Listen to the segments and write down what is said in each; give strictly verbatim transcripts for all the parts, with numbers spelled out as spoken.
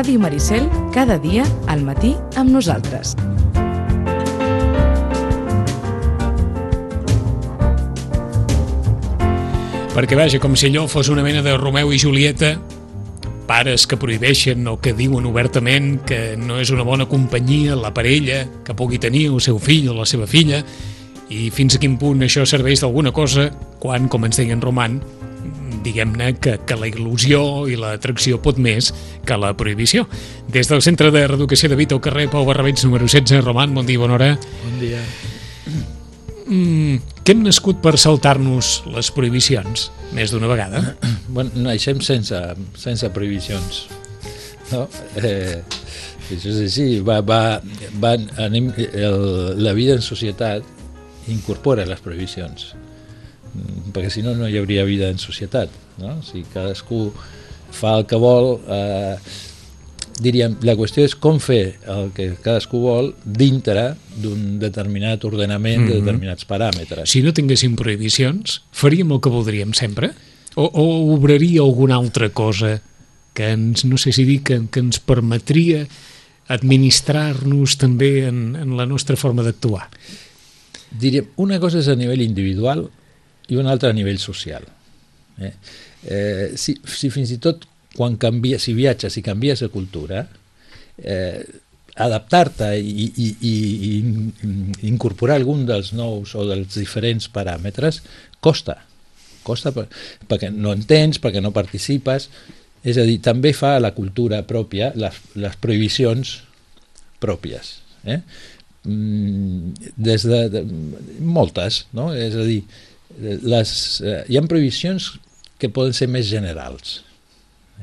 Ràdio Maricel, cada dia al matí amb nosaltres. Perquè, vaja, com si allò fos una mena de Romeu i Julieta, pares que prohibeixen o que diuen obertament que no és una bona companyia la parella que pugui tenir el seu fill o la seva filla, i fins a quin punt això serveix d'alguna cosa quan, com ens deia en Roman, diguem-ne que, que la il·lusió i l'atracció pot més que la prohibició. Des del Centre de Reeducació de Vita al carrer Pau Barrabets número setze, Roman, bon dia, bona hora. Bon dia. Mm, que hem nascut per saltar-nos les prohibicions més d'una vegada. Bueno, naixem sense, sense prohibicions, no? Eh, això és així. Va, va, va, anem, el, la vida en societat incorpora les prohibicions, perquè si no no hi hauria vida en societat, no? Si cadascú fa el que vol, eh, diríem, la qüestió és com fer el que cadascú vol dintre d'un determinat ordenament, mm-hmm. de determinats paràmetres. Si no tinguéssim prohibicions, faríem el que voldríem sempre? O, o obraria alguna altra cosa que ens, no sé si dir, que, que ens permetria administrar-nos també en, en la nostra forma d'actuar? Diríem, una cosa és a nivell individual i una altra a nivell social. Eh? Eh, si, si fins i tot quan canvies, si viatges i canvies de cultura, eh, adaptar-te i, i, i, i incorporar algun dels nous o dels diferents paràmetres costa. Costa per, perquè no entens, perquè no participes. És a dir, també fa a la cultura pròpia les, les prohibicions pròpies. Eh? Des de, de moltes, no? És a dir, les, eh, hi ha prohibicions que poden ser més generals.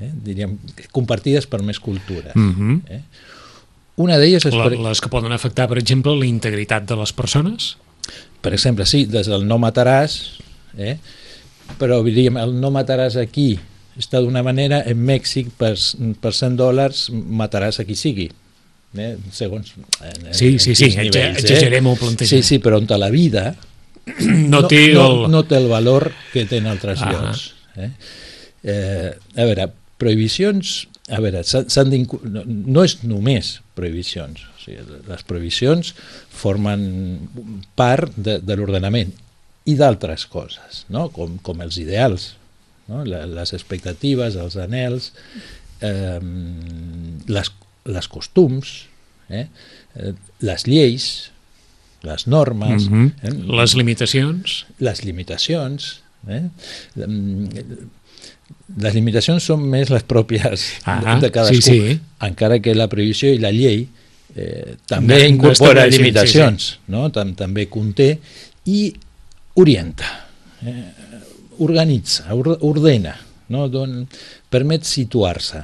Eh, diríem, compartides per més cultura. Mm-hmm. eh? Una d'elles és... Per... Les que poden afectar, per exemple, la integritat de les persones? Per exemple, sí, des del no mataràs, eh? Però diríem, el no mataràs aquí està d'una manera, en Mèxic per, per cent dòlars mataràs a qui sigui. Eh? Segons... En, sí, sí, sí, nivells, exagerem eh? el plantejament. Sí, sí, però on la vida no, té no, el... no, no té el valor que té en altres ah. llocs. Eh? Eh, a veure, prohibicions, a veure, s'han no, no és només prohibicions, o sigui, les prohibicions formen part de, de l'ordenament i d'altres coses, no? com, com els ideals, no? Les expectatives, els anhels, eh, les, les costums, eh? les lleis, les normes, mm-hmm. eh? les limitacions, les limitacions, eh? Les limitacions són més les pròpies ah, de cadascú, sí, sí. Encara que la prohibició i la llei eh, també no, incorpora no limitacions, sí, sí. No? Tam, també conté i orienta, eh, organitza, ordena, no? Don, permet situar-se.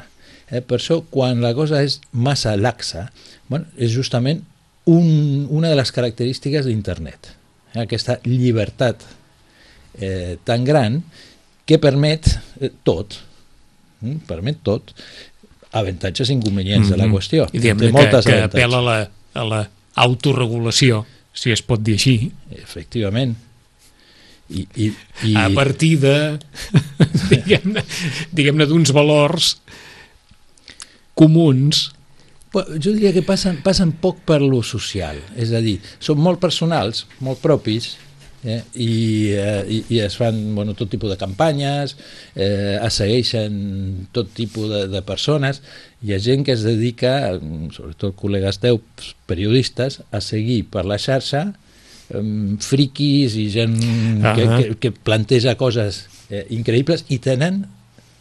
Eh, per això, quan la cosa és massa laxa, bueno, és justament un, una de les característiques d'internet, eh, aquesta llibertat eh, tan gran que permet eh, tot, mm, permet tot, avantatges i inconvenients mm-hmm. de la qüestió. I diguem-ne que, que apel·la a la, a la autorregulació, si es pot dir així. Efectivament. I, i, i... A partir de, diguem-ne, diguem-ne d'uns valors comuns. Jo diria que passen, passen poc per lo social, és a dir, són molt personals, molt propis, Eh, i, eh, i, i es fan bueno, tot tipus de campanyes, eh, es segueixen tot tipus de, de persones. Hi ha gent que es dedica, sobretot col·legues teus periodistes, a seguir per la xarxa eh, friquis i gent uh-huh. que, que, que planteja coses eh, increïbles i tenen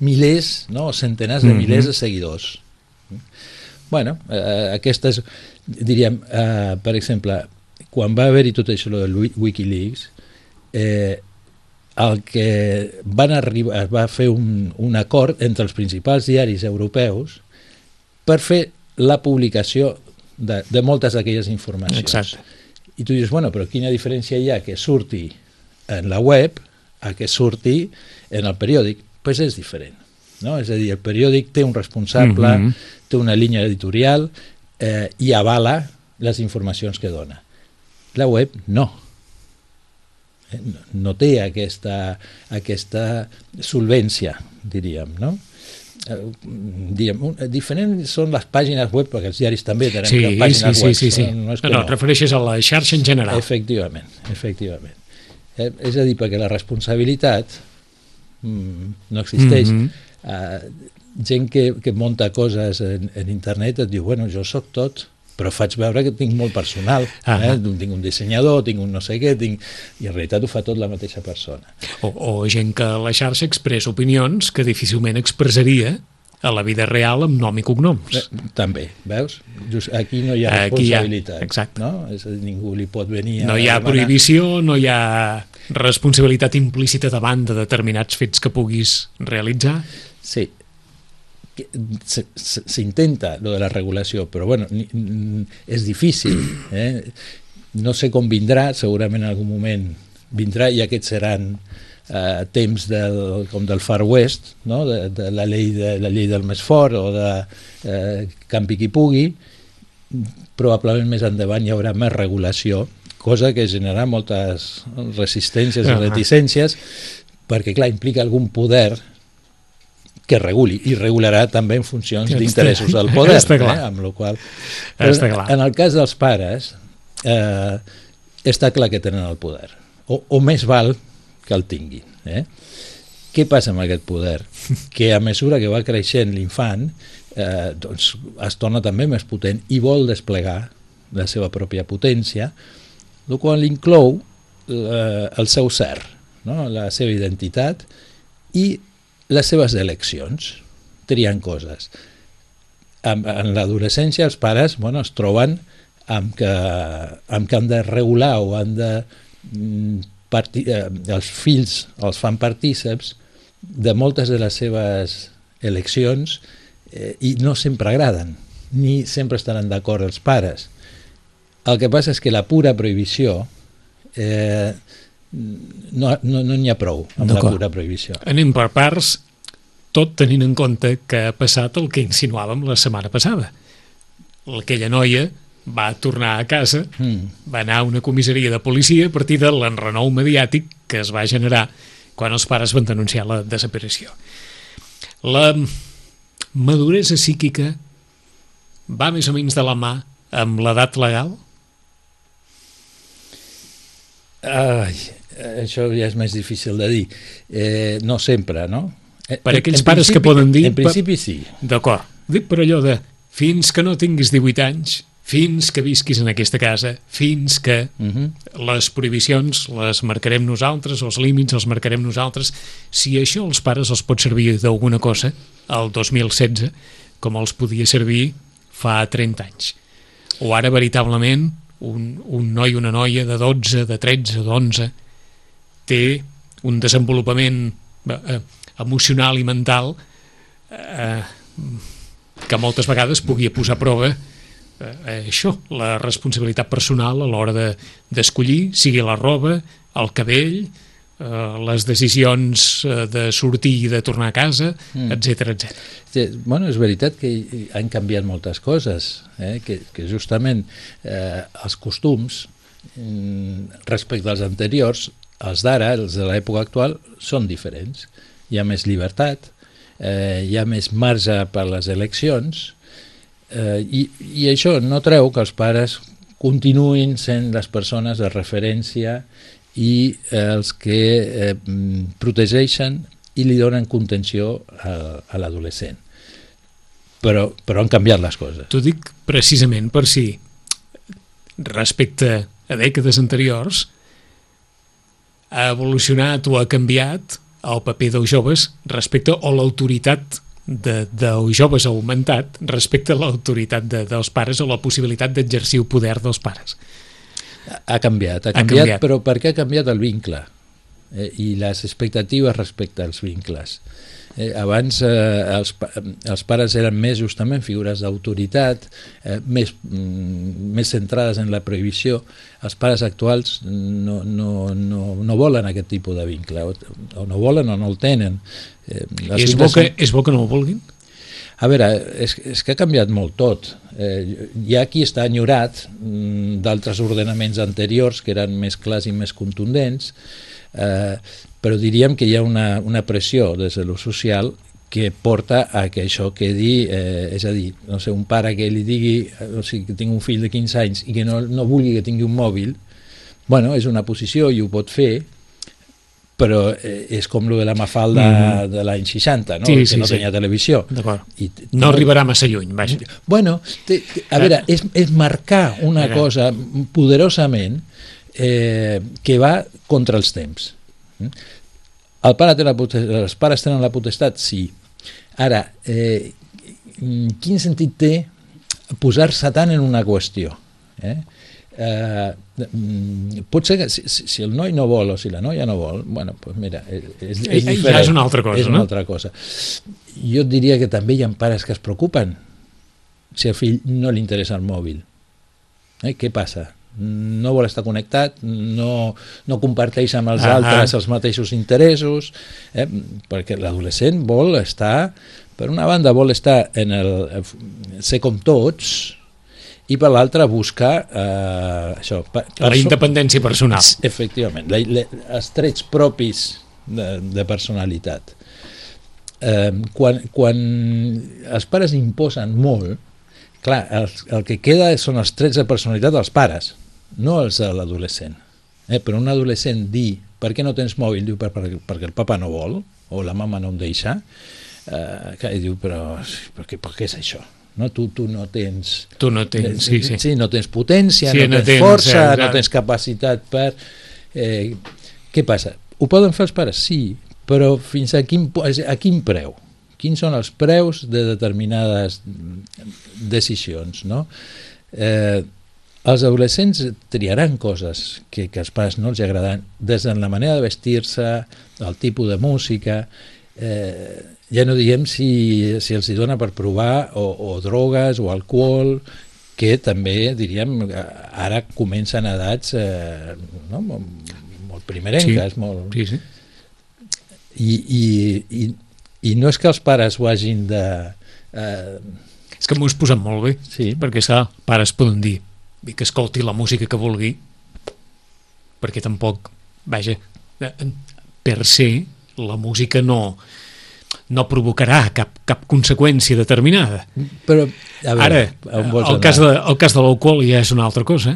milers, no, centenars de uh-huh. milers de seguidors. Bueno, eh, aquestes, diríem, eh, per exemple, quan va haver-hi tot això del Wikileaks, eh, el que van arribar, es va fer un, un acord entre els principals diaris europeus per fer la publicació de, de moltes d'aquelles informacions. Exacte. I tu dius, bueno, però quina diferència hi ha que surti en la web a que surti en el periòdic? Doncs pues és diferent, no? És a dir, el periòdic té un responsable, mm-hmm. té una línia editorial eh, i avala les informacions que dona. La web no. No té aquesta, aquesta solvència, diríem, no? eh, diguem, un, diferents són les pàgines web, perquè els diaris també tenen sí, pàgines sí, sí, web. Sí, sí. No, no, no, no, et refereixes a la xarxa en general. Efectivament, efectivament. Eh, és a dir, perquè la responsabilitat mm, no existeix. Mm-hmm. eh, gent que, que munta coses en, en internet et diu, bueno, jo sóc tot, però faig veure que tinc molt personal, ah eh? tinc un dissenyador, tinc un no sé què, tinc... i en realitat ho fa tot la mateixa persona. O, o gent que a la xarxa expressa opinions que difícilment expressaria a la vida real amb nom i cognoms. Eh, també, veus? Just aquí no hi ha responsabilitat. Aquí hi ha, no? És a dir, ningú li pot venir a... No hi ha demanar... prohibició, no hi ha responsabilitat implícita davant de determinats fets que puguis realitzar. Sí, s'intenta lo de la regulació, però bueno, és difícil, eh? No sé com vindrà, segurament en algun moment vindrà, i aquests seran eh, temps del, com del Far West, no? de, de la llei de, la llei del més fort, o de eh, campi qui pugui. Probablement més endavant hi haurà més regulació, cosa que generarà moltes resistències i reticències, perquè clar, implica algun poder que reguli, i regularà també en funcions d'interessos del poder, eh? Amb la qual... en el cas dels pares eh, està clar que tenen el poder, o, o més val que el tinguin, eh? Què passa amb aquest poder? Que a mesura que va creixent l'infant eh, doncs es torna també més potent i vol desplegar la seva pròpia potència, el qual inclou eh, el seu ser, no? La seva identitat i les seves eleccions, triant coses. En, en l'adolescència els pares, bueno, es troben amb que, amb que han de regular o han de... Parti, eh, els fills els fan partíceps de moltes de les seves eleccions eh, i no sempre agraden, ni sempre estaran d'acord els pares. El que passa és que la pura prohibició eh, no n'hi no, no ha prou amb la pura prohibició. Anem per parts, tot tenint en compte que ha passat el que insinuàvem la setmana passada. Aquella noia va tornar a casa, mm. va anar a una comissaria de policia a partir de l'enrenou mediàtic que es va generar quan els pares van denunciar la desaparició. La maduresa psíquica va més o menys de la mà amb l'edat legal? Ai, això ja és més difícil de dir. Eh, no sempre, no? Per aquells en pares que poden dir... En principi sí. D'acord. Dic per allò de fins que no tinguis divuit anys, fins que visquis en aquesta casa, fins que uh-huh. les prohibicions les marcarem nosaltres, els límits els marcarem nosaltres. Si això els pares els pot servir d'alguna cosa el dos mil setze, com els podia servir fa trenta anys. O ara, veritablement, un, un noi o una noia de dotze, de tretze, d'onze, té un desenvolupament eh, emocional i mental eh, que moltes vegades pugui posar a prova eh, això, la responsabilitat personal a l'hora de, d'escollir, sigui la roba, el cabell, eh, les decisions eh, de sortir i de tornar a casa, mm. etcètera, etcètera. Sí, bueno, és veritat que han canviat moltes coses, eh, que, que justament eh, els costums respecte als anteriors, els d'ara, els de l'època actual, són diferents. Hi ha més llibertat, eh, hi ha més marge per les eleccions, eh, i, i això no treu que els pares continuïn sent les persones de referència i eh, els que eh, protegeixen i li donen contenció a, a l'adolescent. Però, però han canviat les coses. T'ho dic precisament per si, respecte a dècades anteriors, ha evolucionat o ha canviat el paper dels joves respecte o l'autoritat de, dels joves ha augmentat respecte a l'autoritat de, dels pares o la possibilitat d'exercir el poder dels pares. Ha canviat, ha, ha canviat, canviat, però perquè ha canviat el vincle eh, i les expectatives respecte als vincles. Eh, abans eh, els, els pares eren més justament figures d'autoritat, eh, més, mm, més centrades en la prohibició. Els pares actuals no, no, no, no volen aquest tipus de vincle, o, o no volen o no el tenen. Eh, és, bo que, són... és bo que no ho vulguin? A veure, és, és que ha canviat molt tot. Eh, hi ha qui està enyorat mm, d'altres ordenaments anteriors que eren més clars i més contundents, eh, però diríem que hi ha una, una pressió des de lo social que porta a que això quedi, eh, és a dir, no sé, un pare que li digui, o sigui, que tingui un fill de quinze anys i que no, no vulgui que tingui un mòbil, bueno, és una posició i ho pot fer, però eh, és com lo de la Mafalda mm. de l'any seixanta, no? Sí, que sí, no sí. tenia televisió. D'acord. I, no, no arribarà massa lluny, vaja. Bueno, te, te, a veure, és, és marcar una Era. cosa poderosament eh, que va contra els temps. El pare té la potestat, els pares tenen la potestat? Sí. Ara, eh, quin sentit té posar-se tant en una qüestió? Eh? Eh, pot ser que si, si el noi no vol o si la noia no vol, bueno, pues mira, és, és diferent. Ja és una altra cosa, és una no? altra cosa. Jo diria que també hi ha pares que es preocupen si al fill no li interessa el mòbil. Eh? Què passa? No vol estar connectat, no, no comparteix amb els ah, altres ah. els mateixos interessos, eh? perquè l'adolescent vol estar, per una banda vol estar en el, ser com tots, i per l'altra buscar eh, això, per, la independència personal. Efectivament, la, la, els trets propis de, de personalitat. Eh, quan, quan els pares imposen molt, clar, el, el que queda són els trets de personalitat dels pares, no els de l'adolescent. Eh, però un adolescent dir per què no tens mòbil? Diu per, per, perquè el papa no vol, o la mama no em deixa, eh, que diu però per què, per què és això? No, tu, tu no tens... Tu no tens, sí, sí. Sí, no tens potència, sí, no, no tens, tens força, eh, no tens capacitat per... Eh, què passa? Ho poden fer els pares? Sí, però fins a quin, a quin preu? Quins són els preus de determinades decisions, no? Eh, els adolescents triaran coses que, que als pares no els agraden, des de la manera de vestir-se, el tipus de música... Eh, ja no diem si, si els hi dona per provar o, o drogues o alcohol, que també, diríem, ara comencen a edats eh, no? molt, molt primerenques. Sí, molt... sí, sí. I, i, i, I no és que els pares ho hagin de... Eh... És que m'ho has posat molt bé, sí. perquè sa, pares poden dir que escolti la música que vulgui, perquè tampoc, vaja, per se, la música no... no provocarà cap, cap conseqüència determinada. Però, a veure, ara, el cas, de, el cas de l'alcohol ja és una altra cosa,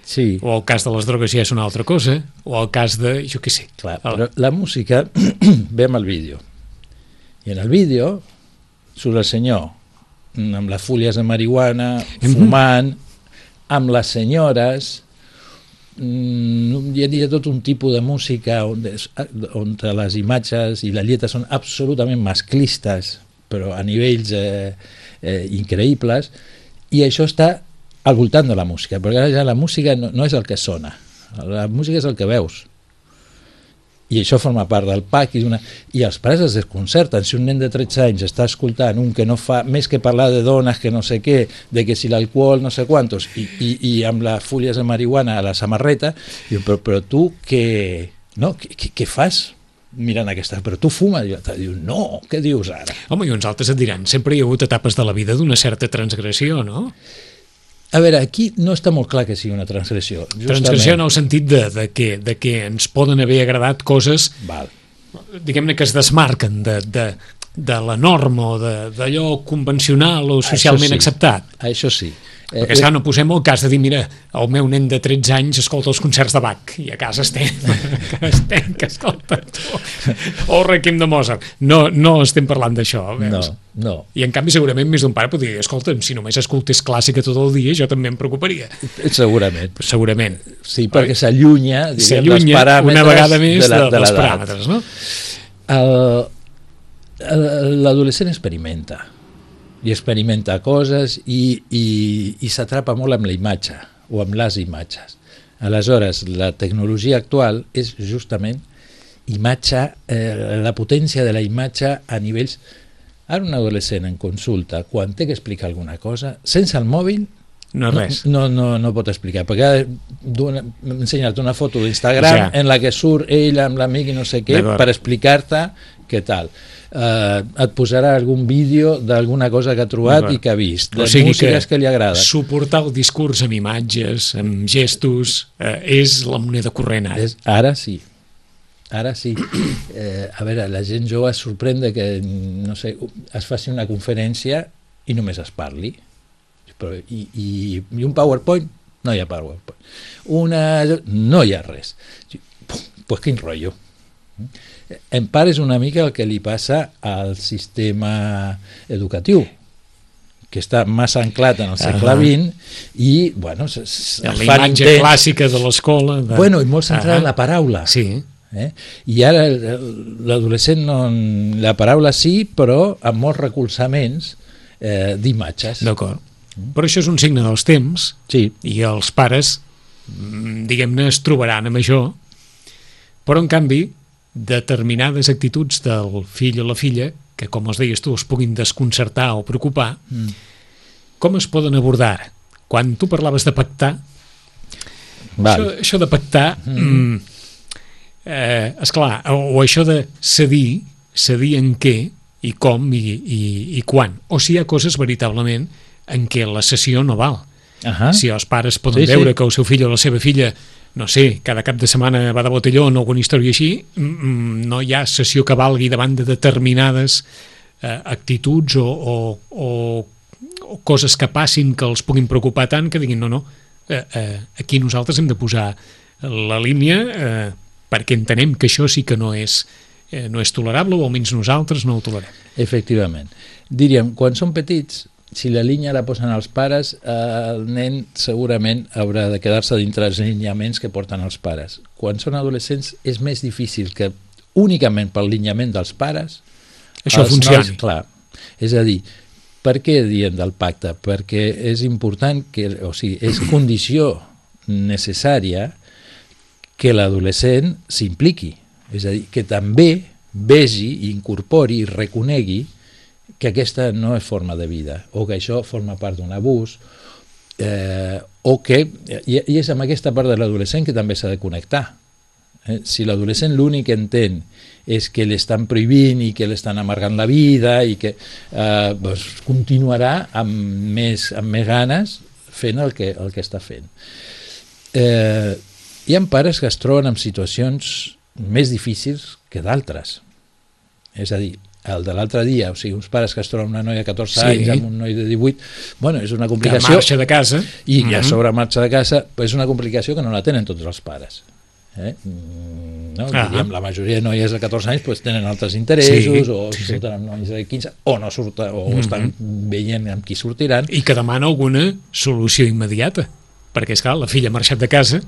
sí. O el cas de les drogues ja és una altra cosa, o el cas de, jo què sé. Clar, però la música ve amb el vídeo. I en el vídeo surt el senyor amb les fulles de marihuana, fumant, amb les senyores... hi ha tot un tipus de música on, on les imatges i la lletra són absolutament masclistes, però a nivells eh, eh, increïbles, i això està al voltant de la música, perquè ara ja la música no, no és el que sona, la música és el que veus, i això forma part del pack, i, una... i els pares es desconcerten. Si un nen de tretze anys està escoltant un que no fa més que parlar de dones, que no sé què, de que si l'alcohol no sé quantos, i, i, i amb les fulles de marihuana a la samarreta, diu, però, però tu què, no? què, què, què fas mirant aquesta? Però tu fumes? Diu, no, què dius ara? Home, i uns altres et diran, sempre hi ha hagut etapes de la vida d'una certa transgressió, no? A veure, aquí no està molt clar que sigui una transgressió. Justament. Transgressió en el sentit de, de, que, de que ens poden haver agradat coses, Val. diguem-ne, que es desmarquen de, de, de la norma o d'allò convencional o socialment sí. acceptat. Això sí. Perquè, esclar, no posem el cas de dir, mira, el meu nen de tretze anys escolta els concerts de Bach, i a casa estem, que estem, que escolta o el Requiem de Mozart. No, no estem parlant d'això. No, no. I en canvi segurament més d'un pare podria dir, escolta'm, si només escoltés clàssica tot el dia, jo també em preocuparia. Segurament. Segurament. Sí, perquè s'allunya dels paràmetres una vegada més de, la, de, dels paràmetres, no? L'adolescent experimenta. i experimenta coses i, i, i s'atrapa molt amb la imatge o amb les imatges. Aleshores, la tecnologia actual és justament imatge, eh, la potència de la imatge a nivells... Ara un adolescent en consulta, quan té que explicar alguna cosa, sense el mòbil, no, res. no, no, no pot explicar, perquè ha ensenyat una foto d'Instagram ja. en la que surt ell amb l'amic i no sé què, per explicar-te què tal. Uh, et posarà algun vídeo d'alguna cosa que ha trobat i que ha vist, de o sigui músiques que, que li agrada. Suportar el discurs amb imatges, amb gestos, uh, és la moneda corrent ara. És, ara sí. ara sí. Eh, a veure, la gent jove es sorprèn de que, no sé, es faci una conferència i només es parli. Però, i, i, I un PowerPoint? No hi ha PowerPoint. Una... No hi ha res. Pues quin rotllo. En part és una mica el que li passa al sistema educatiu, que està massa anclat en el segle vint i, bueno, es, es la imatge intents... clàssica de l'escola. De... Bueno, i molt centrada en la paraula. Sí. Eh? I ara l'adolescent, no, la paraula sí, però amb molts recolzaments eh, d'imatges. D'acord. Però això és un signe dels temps, sí. I els pares, diguem-ne, es trobaran amb això, però en canvi determinades actituds del fill o la filla, que com els deies tu es puguin desconcertar o preocupar, mm. com es poden abordar? Quan tu parlaves de pactar, això, això de pactar, mm. eh, esclar, o, o això de cedir, cedir en què i com i, i, i quan, o si hi ha coses veritablement en què la sessió no val. Uh-huh. Si els pares poden sí, veure sí. que el seu fill o la seva filla, no sé, cada cap de setmana va de botelló o alguna història així, no hi ha sessió que valgui davant de determinades eh, actituds o, o, o, o coses que passin que els puguin preocupar tant que diguin no, no, eh, eh, aquí nosaltres hem de posar la línia eh, perquè entenem que això sí que no és, eh, no és tolerable, o almenys nosaltres no ho tolerem. Efectivament. Diríem, quan són petits, si la línia la posen els pares, eh, el nen segurament haurà de quedar-se dintre els lineaments que porten els pares. Quan són adolescents és més difícil que únicament pel lineament dels pares això funcioni. Nois, clar, és a dir, per què diem del pacte? Perquè és important, que, o sigui, és condició necessària que l'adolescent s'impliqui, és a dir, que també vegi, incorpori i reconegui que aquesta no és forma de vida, o que això forma part d'un abús, eh, o que, i, i és amb aquesta part de l'adolescent que també s'ha de connectar. Eh? Si l'adolescent l'únic que entén és que l'estan prohibint i que l'estan amargant la vida i que eh, doncs continuarà amb més, amb més ganes fent el que, el que està fent. Eh, hi ha pares que es troben en situacions més difícils que d'altres. És a dir, el de l'altre dia, o sigui, uns pares que es troben una noia de catorze sí. anys amb un noi de divuit, bueno, és una complicació... Que marxa de casa. I ja mm-hmm. sobre marxa de casa, però és una complicació que no la tenen tots els pares. Eh? No? Ah. Diríem, la majoria de noies de catorze anys pues, tenen altres interessos, sí. o sí, surten amb nois de quinze, o no surten, o mm-hmm. estan veient amb qui sortiran. I que demana alguna solució immediata, perquè, esclar, la filla ha marxat de casa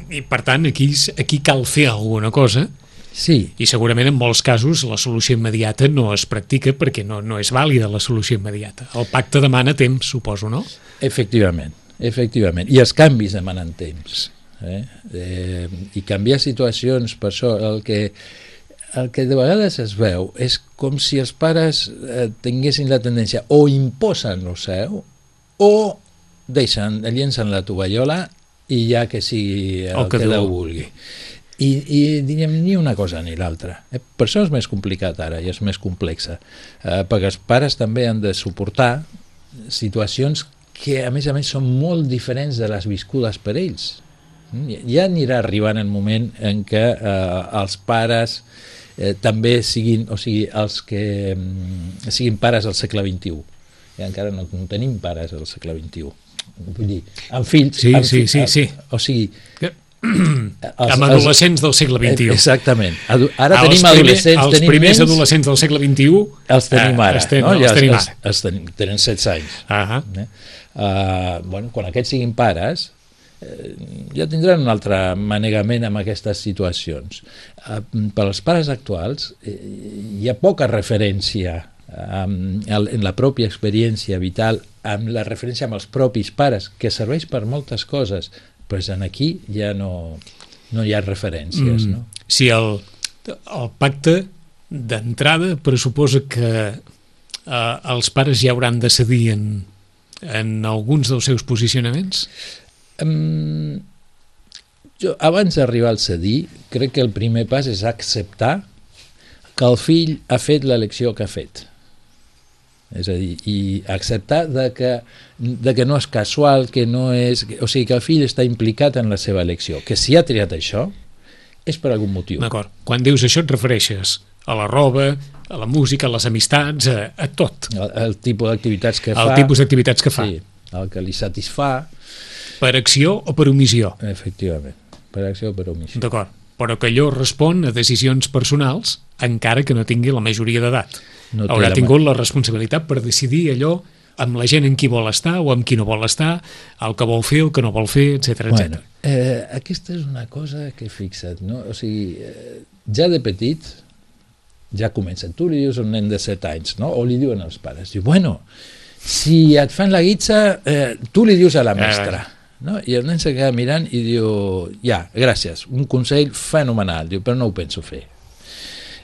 i, per tant, aquí, aquí cal fer alguna cosa. Sí. I segurament en molts casos la solució immediata no es practica perquè no, no és vàlida la solució immediata. El pacte demana temps, suposo, no? Efectivament, efectivament. I els canvis demanen temps. Eh? Eh, I canviar situacions, per això el que, el que de vegades es veu és com si els pares eh, tinguessin la tendència o imposen el seu o deixen, llencen la tovallola i ja que sigui el, el que Déu vulgui. I, i diríem, ni una cosa ni l'altra. Eh? Per això és més complicat ara i és més complexa, eh, perquè els pares també han de suportar situacions que a més a més són molt diferents de les viscudes per ells. Ja anirà arribant el moment en què eh, els pares eh, també siguin, o sigui, els que mm, siguin pares al segle vint-i-u. I encara no, no tenim pares al segle vint-i-u. Vull dir, amb fills... Sí, amb, sí, sí, sí. O sigui... Que... Els, amb adolescents del segle vint-i-u. Exactament. Ara els tenim primer, adolescents... Els tenim primers nens, adolescents del segle vint-i-u els tenim ara. Eh, ten, no? els Ja, tenim els, ara. Els tenim, tenen setze anys. Uh-huh. Eh? Uh, bueno, quan aquests siguin pares, eh, ja tindran un altre manegament amb aquestes situacions. Uh, per als pares actuals, eh, hi ha poca referència um, en la pròpia experiència vital, amb la referència amb els propis pares, que serveix per moltes coses, però en aquí ja no, no hi ha referències. Mm. No? Si el, el pacte d'entrada pressuposa que eh, els pares ja hauran de cedir en, en alguns dels seus posicionaments? Um, jo, abans d'arribar al cedir, crec que el primer pas és acceptar que el fill ha fet l'elecció que ha fet. És a dir, i acceptar de que, de que no és casual, que no és... O sigui, que el fill està implicat en la seva elecció, que si ha triat això és per algun motiu. D'acord. Quan dius això et refereixes a la roba, a la música, a les amistats, a, a tot. El, el tipus d'activitats que el fa. El tipus d'activitats que fa. Sí, el que li satisfà. Per acció o per omissió. Efectivament, per acció o per omissió. D'acord, però que allò respon a decisions personals encara que no tingui la majoria d'edat. No haurà tingut la responsabilitat per decidir allò amb la gent en qui vol estar o amb qui no vol estar, el que vol fer, el que no vol fer, etcètera, etcètera. Bueno, eh, aquesta és una cosa que fixa't, no? O sigui, eh, ja de petit ja comença. Tu li dius a un nen de set anys, no? O li diuen als pares, diu, bueno, si et fan la guitza, eh, tu li dius a la mestra. Eh. No? I el nen se queda mirant i diu, ja, gràcies, un consell fenomenal, diu, però no ho penso fer.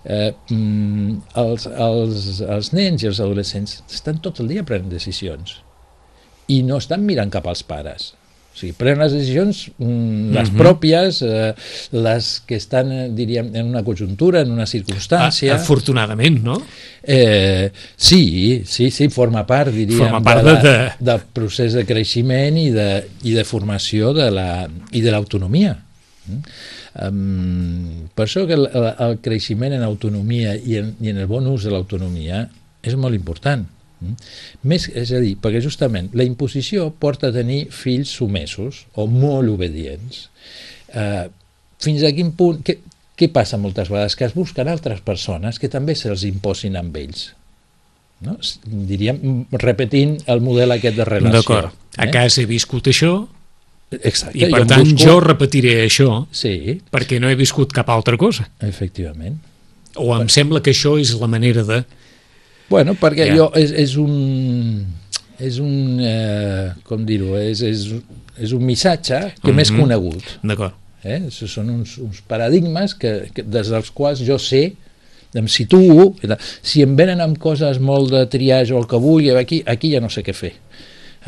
Eh, els, els, els nens i els adolescents estan tot el dia prenent decisions i no estan mirant cap als pares. O sigui, prenen les decisions, mm, les mm-hmm. pròpies, eh, les que estan, diríem, en una conjuntura, en una circumstància. Afortunadament, no? Eh, sí, sí, sí, forma part, diríem, forma part de la, de... del procés de creixement i de, i de formació de la, i de l'autonomia. Mm? Um, per això que el, el creixement en autonomia i en, i en el bon ús de l'autonomia és molt important. Mm? Més, és a dir, perquè justament la imposició porta a tenir fills submesos o molt obedients. Uh, fins a quin punt... Què, què passa moltes vegades? Que es busquen altres persones que també se'ls imposin amb ells. No? Diríem, repetint el model aquest de relació. D'acord. A eh? casa he viscut això. Exacte. I per jo tant busco... jo repetiré això sí. perquè no he viscut cap altra cosa. Efectivament. O em bueno. sembla que això és la manera de... Bueno, perquè ja. jo és, és un... és un... Eh, com dir-ho? És, és, és un missatge que mm-hmm. m'és conegut. D'acord. Eh? Són uns, uns paradigmes que, que, des dels quals jo sé, em situo, si em venen amb coses molt de triage o el que vull, aquí, aquí ja no sé què fer.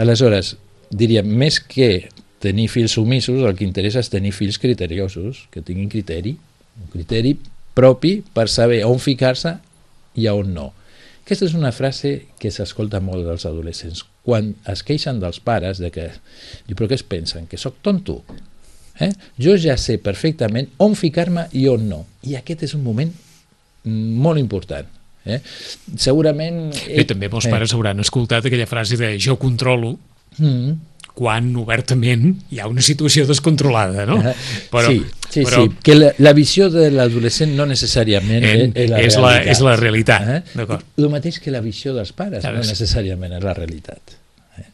Aleshores, diríem, més que tenir fills submisos, el que interessa és tenir fills criteriosos, que tinguin criteri, un criteri propi per saber on ficar-se i on no. Aquesta és una frase que s'escolta molt dels adolescents. Quan es queixen dels pares de que, diu, però què es pensen? Que sóc tonto? Eh? Jo ja sé perfectament on ficar-me i on no. I aquest és un moment molt important. Eh? Segurament... I també molts pares eh. hauran escoltat aquella frase de jo controlo, mm. quan obertament hi ha una situació descontrolada, no? Però, sí, sí, però, sí, que la, la visió de l'adolescent no necessàriament en, és, la és, la, és la realitat. Eh? D'acord. El mateix que la visió dels pares no necessàriament és la realitat. Eh?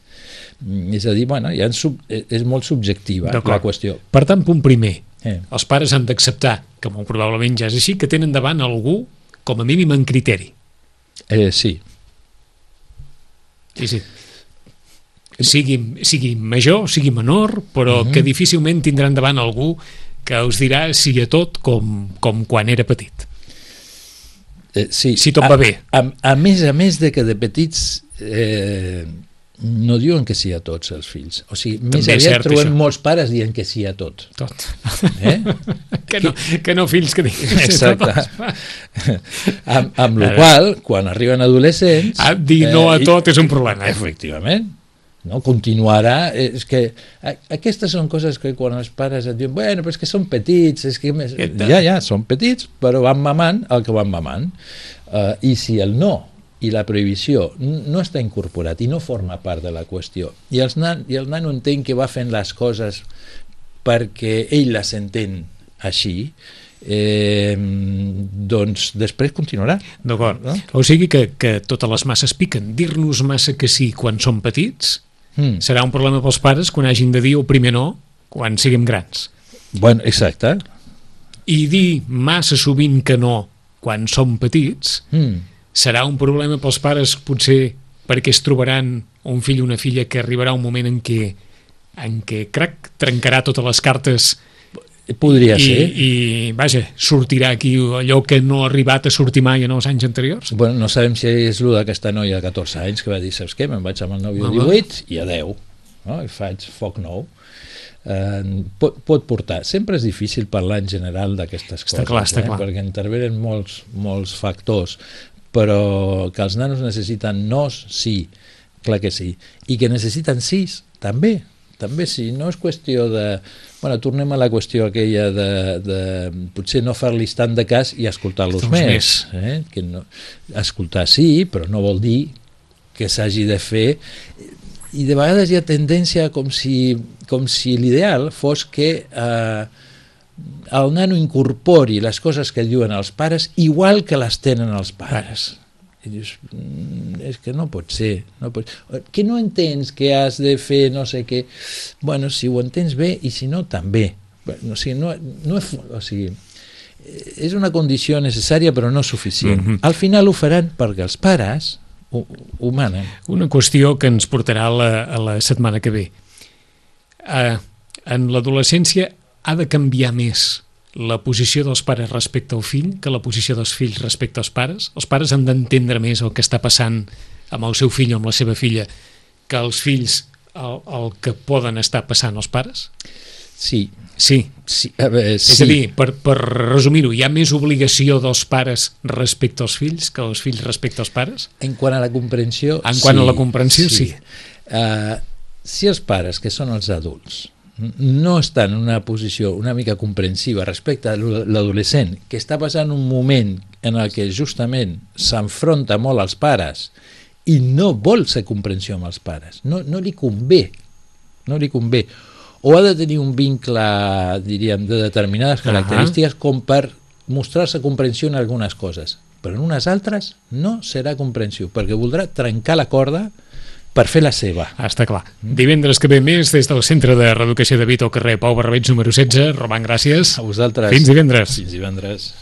És a dir, bueno, ja sub, és molt subjectiva la qüestió. Per tant, punt primer, eh. els pares han d'acceptar, que molt probablement ja és així, que tenen davant algú com a mínim en criteri. Eh, sí. Sí, sí. Sigui, sigui major, sigui menor, però uh-huh. que difícilment tindran davant algú que us dirà sí a tot com, com quan era petit. Eh, sí. Si tot a, va bé. A, a més a més de que de petits eh, no diuen que sí a tots els fills. O sigui, més També aviat trobem això. molts pares dient que sí a tot. Tot. Eh? que, no, que no fills que diguin exacte. amb, amb la qual, quan arriben adolescents... Ah, dir no a tot eh, és un problema. Efectivament. No, continuarà, és que aquestes són coses que quan els pares et diuen, bueno, però és que són petits, és que més... ja, ja, són petits, però van mamant el que van mamant, uh, i si el no i la prohibició no està incorporat i no forma part de la qüestió, i, els nan, i el nano entén que va fent les coses perquè ell les entén així, eh, doncs després continuarà. D'acord, no? O sigui que, que totes les masses piquen. Dir-nos massa que sí quan som petits mm. serà un problema pels pares quan hagin de dir el primer no quan siguem grans. Bueno, exacte. I dir massa sovint que no quan som petits mm. serà un problema pels pares potser perquè es trobaran un fill o una filla que arribarà un moment en què, en què crac, trencarà totes les cartes. Podria I, ser. I, vaja, sortirà aquí allò que no ha arribat a sortir mai en els anys anteriors? Bueno, no sabem si és el d'aquesta noia de catorze anys que va dir, saps què, me'n vaig amb el nòvio de divuit i adeu, no? I faig foc nou. Eh, pot, pot portar. Sempre és difícil parlar en general d'aquestes coses, clar, està eh? clar. perquè intervenen molts, molts factors, però que els nanos necessiten nos, sí, clar que sí, i que necessiten sis, també, també sí, no és qüestió de... Bueno, tornem a la qüestió aquella de, de potser no fer-los tant de cas i escoltar-los més. més. Eh? Que no, escoltar sí, però no vol dir que s'hagi de fer... I de vegades hi ha tendència com si, com si l'ideal fos que eh, el nano incorpori les coses que diuen els pares igual que les tenen els pares. I dius, és que no pot ser, no pot... que no entens que has de fer no sé què. Bueno, si ho entens bé i si no, també. O sigui, no, no és, o sigui, és una condició necessària però no suficient. Mm-hmm. Al final ho faran perquè els pares ho, ho manen. Una qüestió que ens portarà a la, a la setmana que ve. Uh, en l'adolescència ha de canviar més la posició dels pares respecte al fill que la posició dels fills respecte als pares? Els pares han d'entendre més el que està passant amb el seu fill o amb la seva filla que els fills el, el que poden estar passant els pares? Sí. Sí. sí. A veure, sí. És a dir, per, per resumir-ho, hi ha més obligació dels pares respecte als fills que els fills respecte als pares? En quant a la comprensió, en quant sí. a la comprensió, sí. sí. Uh, si els pares, que són els adults, no està en una posició una mica comprensiva respecte a l'adolescent, que està passant un moment en el que justament s'enfronta molt als pares i no vol ser comprensió amb els pares, no, no li convé, no li convé, o ha de tenir un vincle, diríem, de determinades característiques com per mostrar-se comprensió en algunes coses, però en unes altres no serà comprensió, perquè voldrà trencar la corda per fer la seva. Ah, està clar. Divendres que ve més des del Centre de Reeducació de Vic al carrer Pau Barbeig número setze. Roman, gràcies. A vosaltres. Fins divendres. Fins divendres.